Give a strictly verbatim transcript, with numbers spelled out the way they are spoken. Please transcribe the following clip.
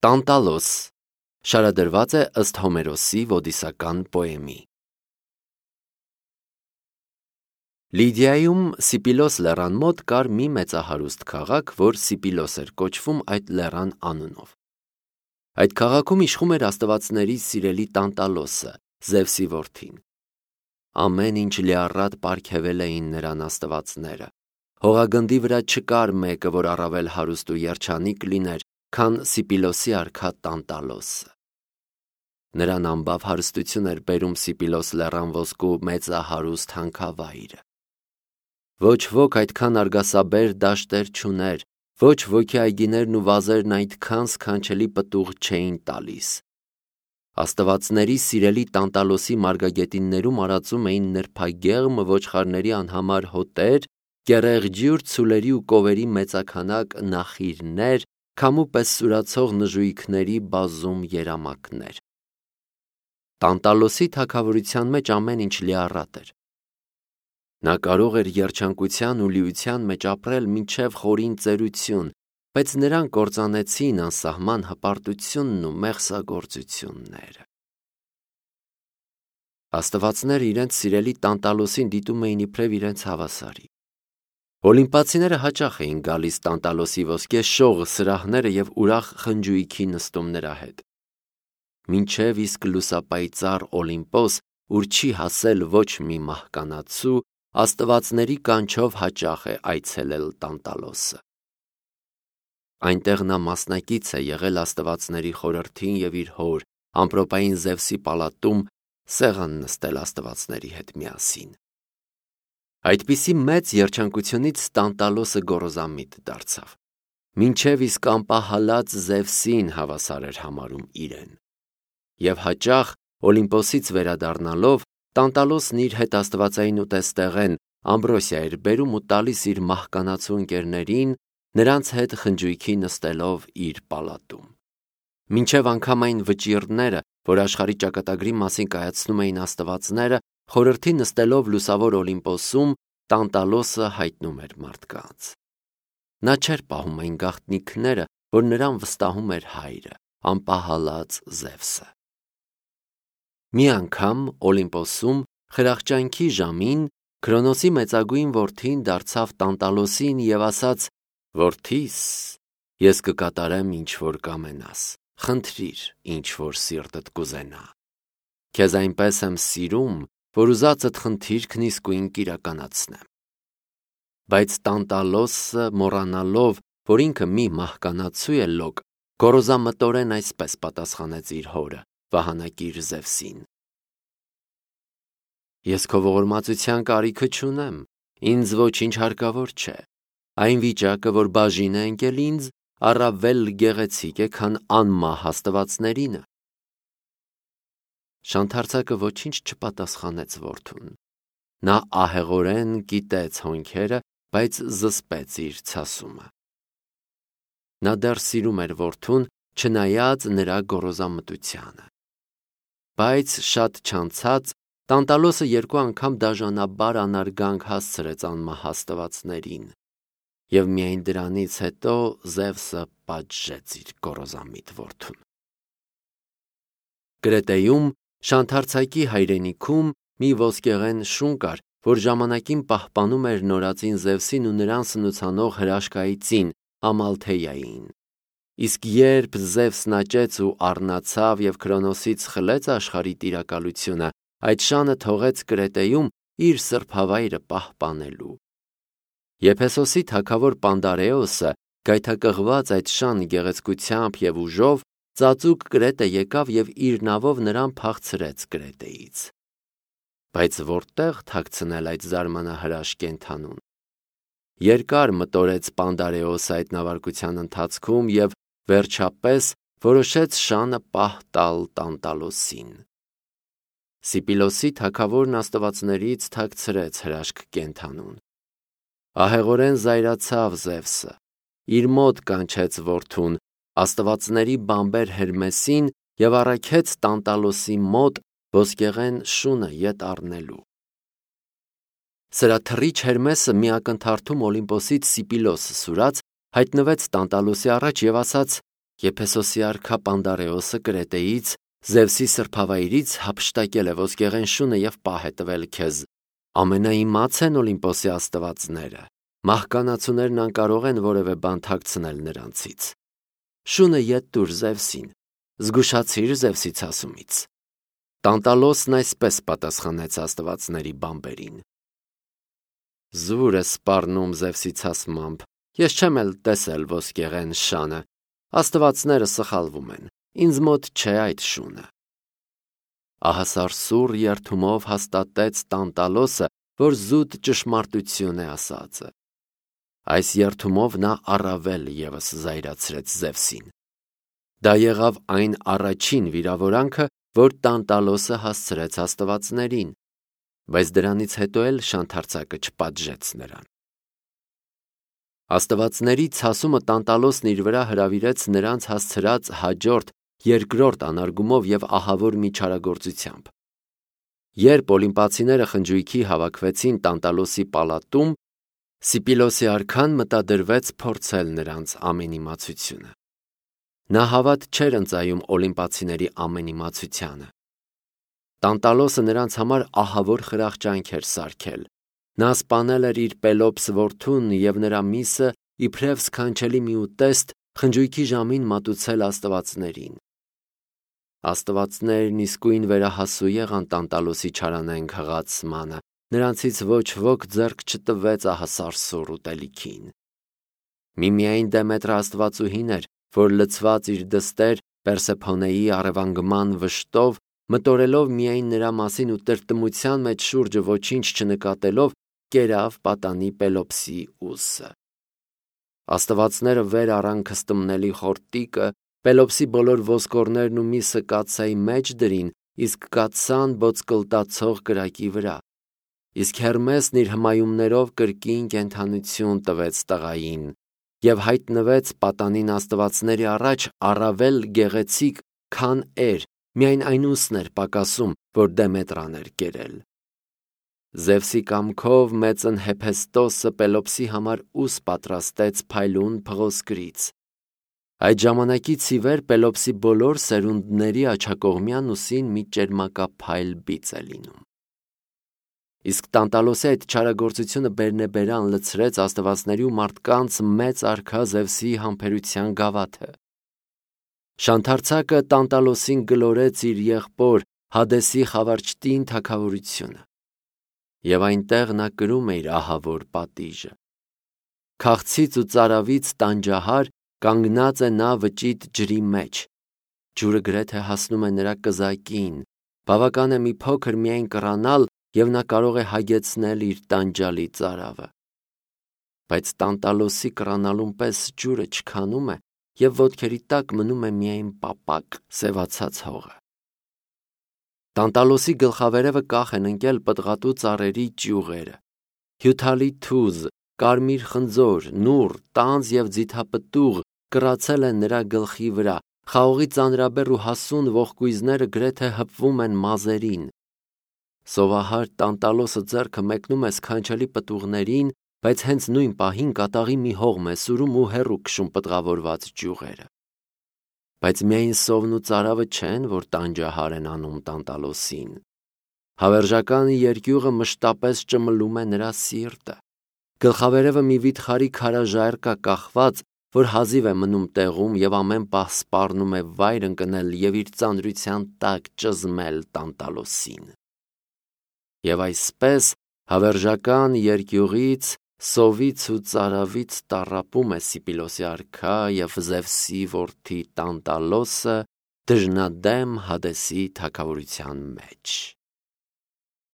Տանտալոս շարադրված է ըստ Հոմերոսի ոդիսական պոեմի։ Լիդիայում Սիպիլոս լեռան մոտ կար մի մեծահարուստ քաղաք, որ Սիպիլոս էր կոչվում այդ լեռան անունով։ Այդ քաղաքում իշխում էր աստվածների սիրելի Տանտալոսը, Զևսի որդին։ Ամեն ինչ լիառատ պարգևել էին նրան աստվածները։ Հողագնդի վրա չկար մեկը, որ առավել հարուստ ու երջանիկ լիներ, քան Սիպիլոսի արքա Տանտալոսը։ Նրան ամբավ հարստություն էր բերում Սիպիլոս լեռան ոսկու մեծահարուստ հանքավայրը։ Ոչ ոք այդքան արգասաբեր դաշտեր չուներ, ոչ ոքի այգիներն ու վազերն այդքան սքանչելի պտուղ չէին տալիս։ Աստվածների սիրելի Տանտալոսի մարգագետիններում արածում էին նրբագեղմ ոչխարների անհամար հոտեր, կեռեղջյուր ցուլերի ու կովերի մեծաքանակ նախիրներ, քամու պես սուրացող նժույգների բազում երամակներ։ Տանտալոսի թագավորության մեջ ամեն ինչ լիառատ էր։ Նա կարող էր երջանկության ու լիության մեջ ապրել մինչև խորին ծերություն, բայց նրան կործանեցին անսահման հպարտությունն ու մեղսագործությունները։ Աստվածները իրենց սիրելի Տանտալոսին դիտում էին իբրև իրենց հավասարի։ Օլիմպացիները հաճախ էին գալիս Տանտալոսի ոսկե շող սրահները և ուրախ խնջույքի նստում նրա հետ։ Մինչև իսկ լուսապայծառ Օլիմպոս, ուր չի հասել ոչ մի մահկանացու, աստվածների կանչով հաճախ է այցելել Տանտալոսը։ Այնտեղ նա մասնակից է եղել աստվածների խորհրդին և իր հոր, ամպրոպային Զևսի պալատում սեղան նստել աստվածների հետ միասին։ Այդպիսի մեծ երջանկությունից Տանտալոսը գոռոզամիտ դարձավ։ Մինչև իսկ անպահալած Զևսին հավասար էր համարում իրեն։ Եվ հաճախ Օլիմպոսից վերադառնալով Տանտալոսն իր հետ աստվածային ուտեստեղեն Ամբրոսիա էր բերում ու տալիս իր մահկանացու ընկերներին, նրանց հետ խնջույքի նստելով իր պալատում։ Մինչև անգամ այն վճիռները, որ աշխարհի ճակատագրի մասին կայացնում էին աստվածները, խորհրդի նստելով լուսավոր Օլիմպոսում, Տանտալոսը հայտնում էր մարդկանց։ Նա չէր պահում այն գաղտնիքները, որ նրան վստահում էր հայրը, անպահալած Զևսը։ Մի անգամ Օլիմպոսում խրախճանքի ժամին Քրոնոսի մեծագույն որդին դարձավ Տանտալոսին և ասաց. «Որդիս, ես կկատարեմ ինչ որ կամենաս, խնդրիր ինչ որ սիրտդ կուզենա։ Քեզ այնպես եմ սիրում, որ ուզածդ խնդիրքն իսկույն կիրականացնեմ»։ Բայց Տանտալոսը, մոռանալով, որ ինքը մի մահկանացու է լոկ, գոռոզամտորեն այսպես պատասխանեց իր հորը, վահանակիր Զևսին. «Ես քո ողորմածության կարիքը չունեմ, ինձ ոչինչ հարկավոր չէ, այն վիճակը, որ բաժին է ընկել ինձ, առավել գեղեցիկ է, քան անմահ աստվածներինը»։ Շանթարցակը ոչինչ չպատասխանեց որդուն։ Նա ահեղորեն կիտեց հոնքերը, բայց զսպեց իր ցասումը։ Նա դեռ սիրում էր որդուն, չնայած նրա գոռոզամտությանը։ Բայց շատ չանցած Տանտալոսը երկու անգամ դաժանաբար անարգանք հասցրեց անմահ աստվածներին, և միայն դրանից հետո Զևսը պատժեց իր գոռոզամիտ որդուն։ Կրետեում Շանթարցակի հայրենիքում մի ոսկեղեն շուն կար, որ ժամանակին պահպանում էր նորածին Զևսին ու նրան սնուցանող հրաշքայծին Ամալթեյային։ Իսկ երբ Զևսն աճեց ու առնացավ և Քրոնոսից խլեց աշխարհի տիրակալությունը, այդ շանը թողեց Կրետեում իր սրբավայրը պահպանելու։ Եփեսոսի թագավոր Պանդարեոսը, գայթակղված այդ շան գեղեցկությամբ և ուժով, ծածուկ Կրետե եկավ և իր նավով նրան փախցրեց Կրետեից։ Բայց որտեղ թաքցնել այդ զարմանահրաշ կենդանուն։ Երկար մտորեց Պանդարեոսը այդ նավարկության ընթացքում և վերջապես որոշեց շանը պահ տալ Տանտալոսին։ Սիպիլոսի թագավորն աստվածներից թաքցրեց հրաշք կենդանուն։ Ահեղորեն զայրացավ Զևսը, իր մոտ կանչեց որդուն, աստվածների բամբեր Հերմեսին և առաքեց Տանտալոսի մոտ ոսկեղեն շունը ետ առնելու։ Սրա թռիչ Հերմեսը մի ակնթարթում Օլիմպոսից Սիպիլոս սուրաց, հայտնվեց Տանտալոսի առաջ և ասաց. Եփեսոսի արքա Պանդարեոսը Կրետեից Զևսի սրբավայրից հափշտակել է ոսկեղեն շունը եւ պահ է տվել քեզ։ Ամենաիմաց են Օլիմպոսի աստվածները։ Մահկանացուներն անկարող են որևէ բան թաքցնել նրանցից։ Շունը ետ տուր Զևսին, զգուշացիր Զևսի ցասումից։ Տանտալոսն այսպես պատասխանեց աստվածների բամբերին. Զուր է սպառնում Զևսի ցասմամբ, ես չեմ էլ տեսել ոսկեղեն շանը, աստվածները սխալվում են, ինձ մոտ չէ այդ շունը։ Ահասարսուռ երդումով հաստատեց Տանտալոսը, որ զուտ ճշմարտություն է ասածը։ Այս երդումով նա առավել ևս զայրացրեց Զևսին։ Դա եղավ այն առաջին վիրավորանքը, որ Տանտալոսը հասցրեց աստվածներին, բայց դրանից հետո էլ շանթարցակը չպատժեց նրան։ Աստվածների ցասումը Տանտալոսն իր վրա հրավիրեց նրանց հասցրած հաջորդ երկրորդ անարգումով եւ ահավոր միջարագործությամբ։ Երբ օլիմպացիները խնջույքի հավաքվեցին Տանտալոսի պալատում, Սիպիլոսի արքան մտադրվեց փորձել նրանց ամենիմացությունը։ Նա հավատ չէր ընծայում օլիմպացիների ամենիմացությանը։ Տանտալոսը նրանց համար ահավոր խրախճանք էր սարքել։ Նա սպանել էր իր Պելոպս որդուն եւ նրա միսը իբրև սքանչելի մի ուտեստ խնջույքի ժամին մատուցել աստվածներին։ Աստվածներն իսկույն վերահասու եղան Տանտալոսի չարանեն քղացմանը, նրանցից ոչ ոք ձեռք չտվեց ահասարսուռ ուտելիքին։ Միմիայն Դեմետրը աստվածուհին էր, որ լցված իր դստեր Պերսեփոնեի առևանգման վշտով, մտորելով միայն նրա մասին ու տրտմության մեջ շուրջը ոչինչ չնկատելով, կերավ պատանի Պելոպսի ուսը։ Աստվածները վեր առան քստմնելի խորտիկը, Պելոպսի բոլոր ոսկորներն ու միսը կաթսայի մեջ դրին, իսկ կաթսան բոցկլտացող կրակի վրա։ Իսկ Հերմեսն իր հմայումներով կրկին կենդանություն տվեց տղային եւ հայտնվեց պատանին աստվածների առաջ առավել գեղեցիկ, քան էր, միայն այն ուսն էր պակասում, որ Դեմետրան էր կերել։ Զևսի կամքով մեծն Հեփեստոսը Պելոպսի համար ուս պատրաստեց փայլուն փղոսկրից։ Այդ ժամանակից ի վեր Պելոպսի բոլոր սերունդների աջակողմյան ուսին մի ճերմակափայլ բիծ է լինում։ Իսկ Տանտալոսի այդ չարագործությունը բերնեբերան լցրեց աստվածների ու մարդկանց մեծ արքա Զևսի համբերության գավաթը։ Շանթարցակը Տանտալոսին գլորեց իր եղբոր Հադեսի խավարճտին թագավորությունը։ Եվ այնտեղ նա կրում է իր ահավոր պատիժը։ Քաղցից ու ծարավից տանջահար կանգնած է նա վճիտ ջրի մեջ։ Ջուրը գրեթե հասնում է նրա կզակին, բավական է մի փոքր միայն կռանալ, եւ նա կարող է հագեցնել իր տանջալի ծարավը։ Բայց Տանտալոսի կռանալուն պես ջուրը չքանում է եւ ոտքերի տակ մնում է միայն պապակ սևացած հողը։ Տանտալոսի գլխավերևը կախ են ընկել պտղատու ծառերի ճյուղերը։ Հյութալի թուզ, կարմիր խնձոր, նուռ, տանձ եւ ձիթապտուղ կռացել են նրա գլխի վրա, խաղողի ծանրաբեռ ու հասուն ողկույզները գրեթե հպվում են մազերին։ Սովահար Տանտալոսը ձեռքը մեկնում է սքանչելի պտուղներին, բայց հենց նույն պահին կատաղի մի հողմ է սուրում ու հեռու քշում պտղավորված ճյուղերը։ Բայց միայն սովն ու ծարավը չեն, որ տանջահար են անում Տանտալոսին։ Հավերժական երկյուղը մշտապես ճմլում է նրա սիրտը։ Գլխավերևը մի վիթխարի քարաժայռ կա կախված, որ հազիվ է մնում տեղում եւ ամեն պահ սպառնում է վայր ընկնել եւ իր ծանրության տակ ճզմել Տանտալոսին։ Եվ այսպես հավերժական երկյուղից, սովից ու ծարավից տառապում է Սիպիլոսի արքա եւ Զևսի որդի Տանտալոսը դժնադեմ Հադեսի թագավորության մեջ։